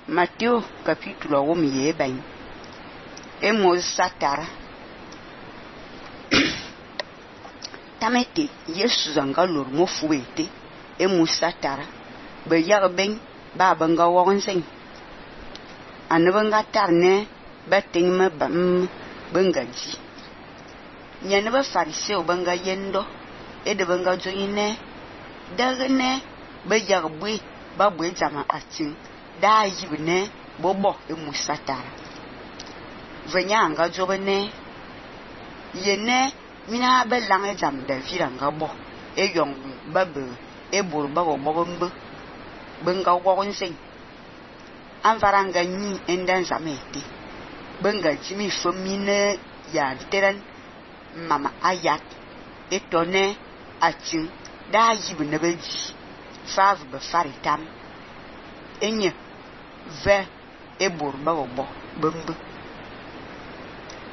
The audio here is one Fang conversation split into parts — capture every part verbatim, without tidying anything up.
Matteo capítulo um ye bem. Emos satara. Tamete Yesu zanga lor mo fuete. Emos satara. Be yag ben ba banga wonsen. Anabanga tarne ba tingme bam bangaji. Nyane ba fariseo banga yendo e de banga joine dagne ba yag bwe ba bwe jama atin da yibne bobo e musatara venya nga jobene yene mina ba lang e jam da viranga bo e yong ba be e bur ba bo bombe benga wonsen anvaranga ni endan zamete benga jimi fomine ya teran mama ayat etone atin da yibne beji fav be faritam enye ve ebor bawo bombe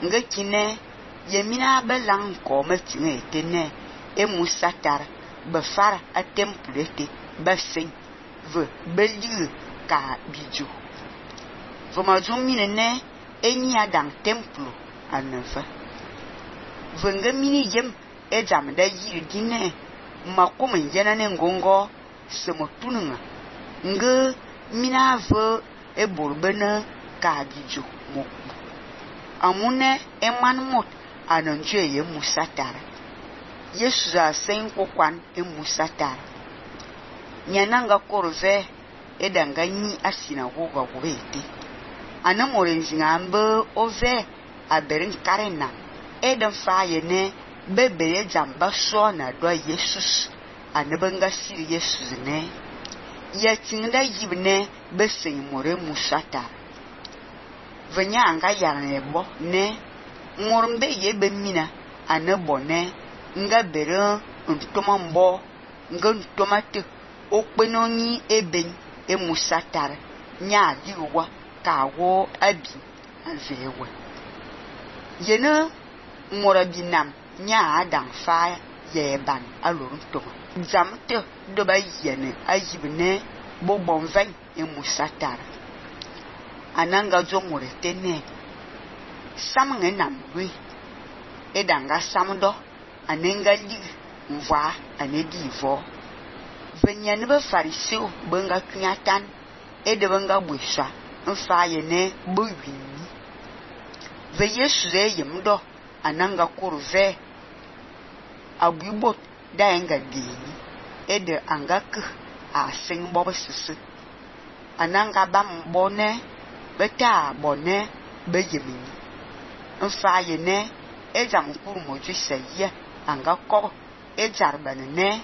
ngakine yemina belang ko matine etene e musatar be fara a templete basin ve beli ka bijo voma jumine ne eni adang templo anfa venga mini yem e jam da yiri dine makoma yana ne ngongo semo tununga nge mina vo e borbena ka bijo mo amune e manmot anonje ye musatara Yesu za sen kokwan e musatara nyananga korve e danga ni asina goga gobete anamorenzinga ambe ove aberin karena e dan faye ne bebe jamba so na do Jesus anabanga siri Jesus ne ya tinda yibne besen more musata venya anga yarne bo ne ngormbe ye bemina anabo ne nga bere ntoma mbo nga ntomate okpenoni eben e musatar nya diwa kawo abi azewe yena morabinam nya adam fa yeban alorun to zamte do ba yene ayibne bo bonvan e musatar ananga jo moretene samnge namwe edanga samdo anenga li mva anedi vo venyane ba fariseo benga kunyatan ede benga bwesha mfa yene bo wini ve Yesu re yemdo ananga kurve agubot da enga dini ede angak a sing bobo sisi ananga bam bone beta bone bejemini mfa yene ejam kurmo jisaya anga ko ejarbane ne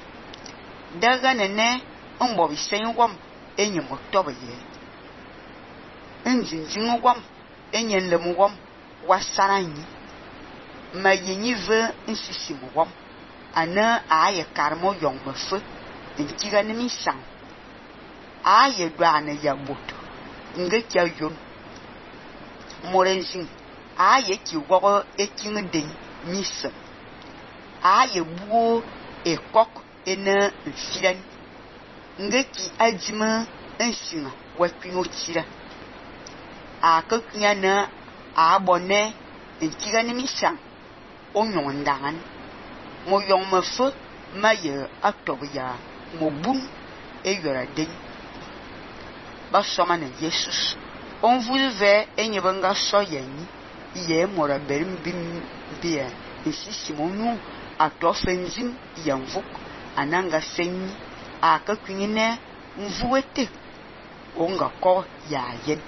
daga ne mbo bisen wom enye motobe ye enjinjin wom enye lem wom wasaranyi mayenyi ve nsisi wom ana aye karmo yong mefe ntiga ne misang aye dwana ya boto nge kya yon morenzin aye ki wogo ekin den misa aye buo ekok ena firan nge ki ajima ensina wakwino tira akakunya na abone ntiga ne misang onyon dangan mo yong mefe maye atobya mo bum e yora den ba soma na Jesus on vulve enye banga soyeni ye mora berim bim bia nsisi monu atofenzim yanvuk ananga senyi akakwine mvuete onga ko ya yen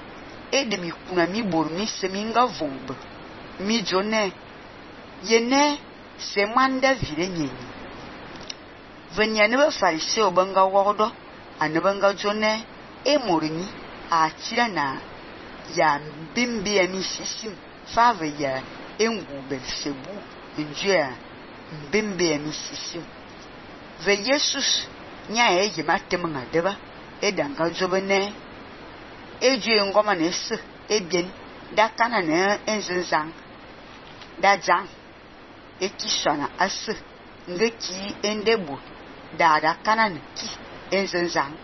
edemi kuna mi bor mi seminga vombe mi jone yene semanda virenyi venyane ba fariseo banga wodo anabanga jone e morini a tira na ya bimbi ya misisim fave ya engu belsebu njua bimbi ya misisim ve Jesus nya e jima temenga deba e danga jobene e je ngoma ne se e bien da kana ne enzenzang da jang e kisana as ngeki endebo da da kana ne ki enzenzang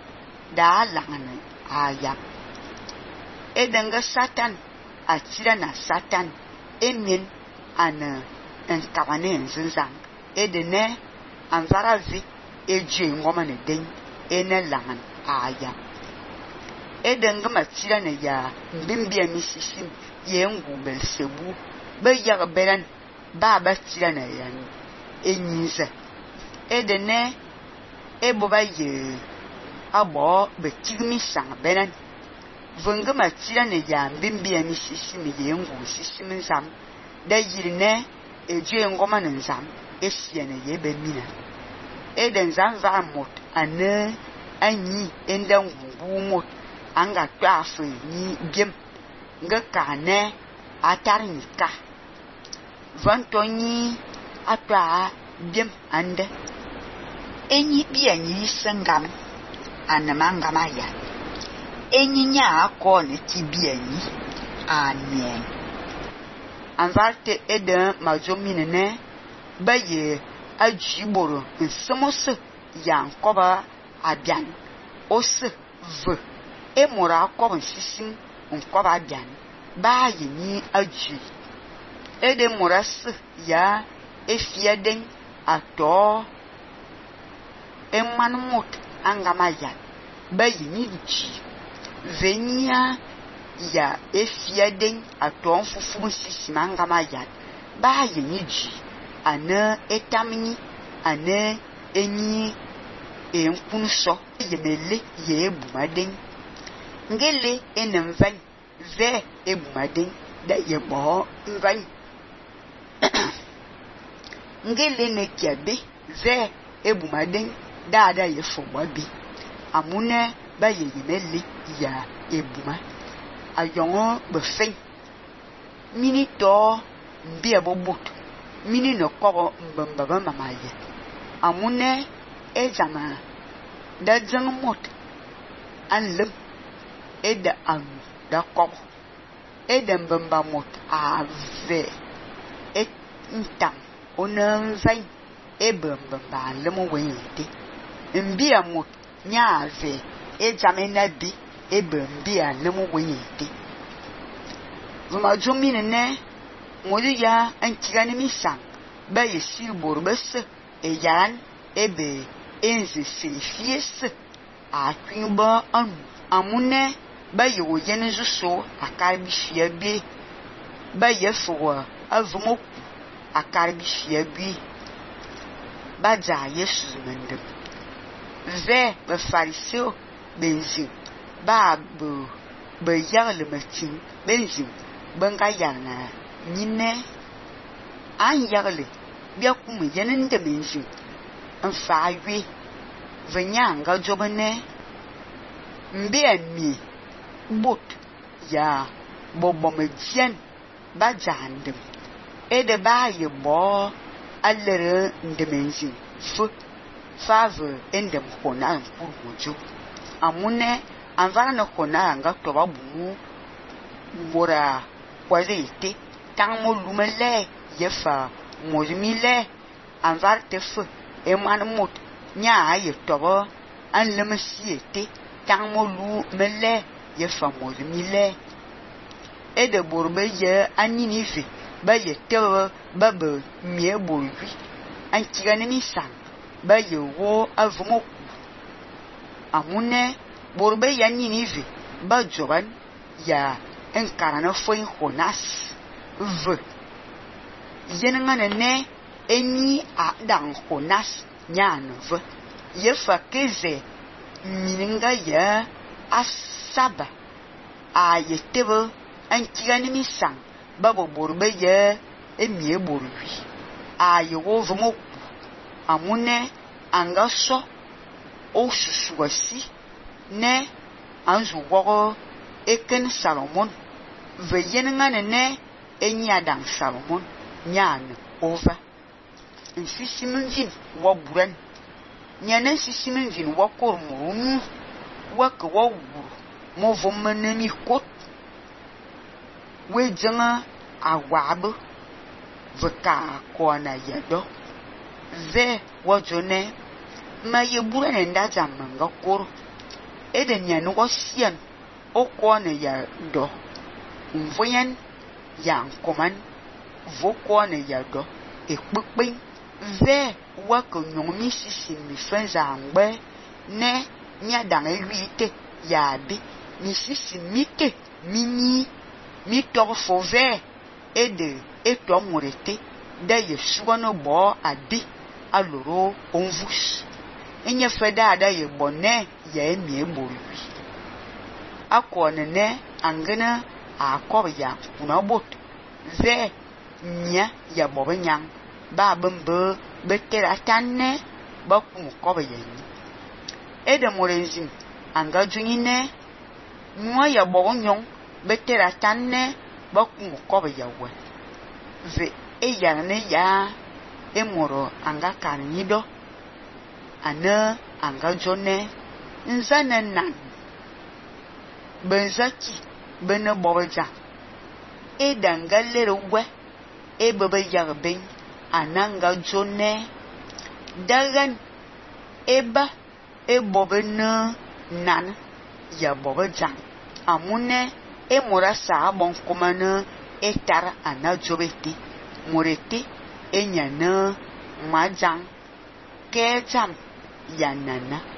da langane aya Edenga Satan atira na Satan emin ana enkabane nzinzang edene anvara vi eje ngoma ne den ene langan aya edenga matira na ya mbimbia misisim yengu belsebu ba yaga beran ba ba tira na ya enyiza edene eboba ye abo betigmi sang beran vunga matira na ya mbimbia misisim yengu sisim zam da yirne eje ngoma ne zam esiene ye be mina eden zam va mot ane anyi enda ngubu mot anga twafu ni gem nga kane atarnika vantonyi atwa gem ande enyi bianyi sangam anamanga maya enyi nya akọ ne tibianyi amen anvarte eden majomine ne baye ajiboro nsomose yankoba abian ose v emora akoba sisim nkoba abian ba yini aji ede moras ya efieden ato emanmot angamaya ba yini ji venia ya efieden ato fufu sisim angamaya ba yini ji ana etamni ana enyi enkunso yemele ye bumaden ngele enemvan ve ebumaden da yebo nvan ngele ne kiabe ve ebumaden da da yefobabi amune ba yemele ya ebuma ayongo befen minito mbia bobot mini no kobo mbamba mamaye amune ezama da zangmot anlem eda anu da kobo eda mbamba mot ave et ntam onan vai ebamba anlem weyete mbia mot nya ave ezama nabi ebambia anlem weyete vuma jomine ne modi ya ankigani misang ba yesi borbes e yaran ebe enze selifies a kwinba an amune ba yo yenezu so akarbi fiabe ba yefo avumo akarbi fiabe ba ja yesu mende ve ba fariseo benzi ba bo ba yarle matin benzi banga yana nyine an yagle bia kuma yanin da menji an fawe vanyanga jobane mbia mi bot ya bobo medien ba jandem ede ba ye bo allere ndemenji fu fave endem kona kurgojo amune anvara na kona nga toba bumu bora kwazete tang mo lumele yefa mozmile anvar tef eman mot nya aye tobo an lemsiete tang mo lumele yefa mozmile ede borbe ye anini fi ba ye tewo baba mie bolwi an kigane mi sang ba ye wo avumo amune borbe ya nini fi ba joban ya enkarana foi honas v yenengane ne enyi a dang honas nyan v yefa keze mininga ya asaba a yetebo ankigani misang babo borbe ye emie borwi a yewo vmo amune angaso o susuasi ne anzu wogo eken Salomon ve yenengane ne enyi adang Salomon nyan over nsisimunjin wa buran nyana nsisimunjin wa kormuru wa ka wa wuru mo vomanami kot we janga awab veka kona yado ve wajone ma ye buran nda jamanga kor eden nyana wa sian okone ya do mvoyen ya nkoman vokone ya do ekpekpen ve wa ko nyomi sisi mi fenza ngbe ne nya dang eluite ya bi mi sisi mite mini mi to fove e de e to morete da yesuwa no bo abi aloro onvus enye feda da ye bonne ya emi ebolu akone ne angena akob ya kuna bot ve nya ya bobenyang ba bembe betera tanne ba ku kobe yen e de morenzim anga junine nwa ya bobonyong betera tanne ba ku kobe ya we ve e ya ne ya e moro anga kanido ana anga jone nzana nan benzaki bene bobeja e dangalere we e bebe yarben ananga jone dagan eba e bobena nan ya bobeja amune e morasa bon komana e tar anajobeti morete e nyana majang kejam yanana